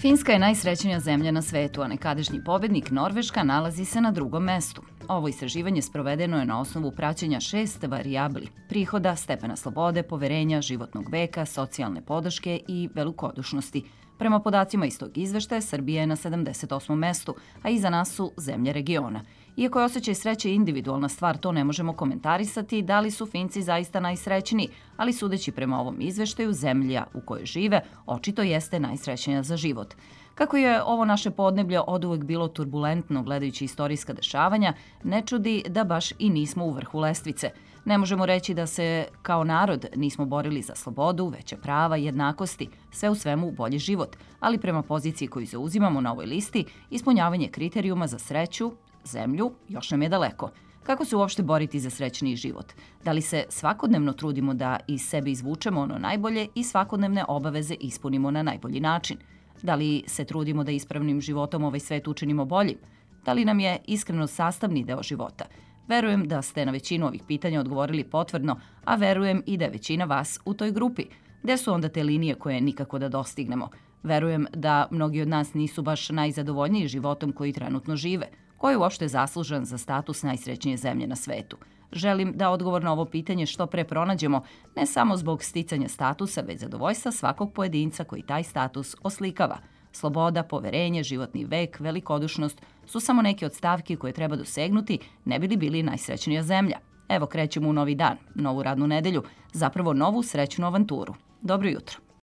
Finska je najsrećnija zemlja na svetu, a nekadašnji pobednik Norveška nalazi se na drugom mestu. Ovo istraživanje sprovedeno je na osnovu praćenja 6 varijabli: prihoda, stepena slobode, poverenja, životnog veka, socijalne podrške i velikodušnosti. Prema podacima iz tog izveštaja, Srbija je na 78. mestu, a iza nas su zemlje regiona. Iako je osjećaj sreće individualna stvar, to ne možemo komentarisati da li su Finci zaista najsrećniji, ali sudeći prema ovom izveštaju, zemlja u kojoj žive očito jeste najsrećnija za život. Kako je ovo naše podneblje oduvek bilo turbulentno gledajući istorijska dešavanja, ne čudi da baš i nismo u vrhu lestvice. Ne možemo reći da se kao narod nismo borili za slobodu, veće prava, jednakosti, sve u svemu bolji život, ali prema poziciji koju zauzimamo na ovoj listi, ispunjavanje kriterijuma za sreću, zemlju, još nam je daleko. Kako se uopšte boriti za srećniji život? Da li se svakodnevno trudimo da iz sebe izvučemo ono najbolje i svakodnevne obaveze ispunimo na najbolji način? Da li se trudimo da ispravnim životom ovaj svet učinimo boljim? Da li nam je iskreno sastavni deo života? Verujem da ste na većinu ovih pitanja odgovorili potvrdno, a verujem i da je većina vas u toj grupi. Gde su onda te linije koje nikako da dostignemo? Verujem da mnogi od nas nisu baš najzadovoljniji životom koji trenutno žive. Ko je uopšte zaslužan za status najsrećnije zemlje na svetu? Želim da odgovor na ovo pitanje što pre pronađemo, ne samo zbog sticanja statusa, već zadovoljstva svakog pojedinca koji taj status oslikava. Sloboda, poverenje, životni vek, velikodušnost su samo neke od stavki koje treba dosegnuti ne bi li bili najsrećnija zemlja. Evo krećemo u novi dan, novu radnu nedelju, zapravo novu srećnu avanturu. Dobro jutro.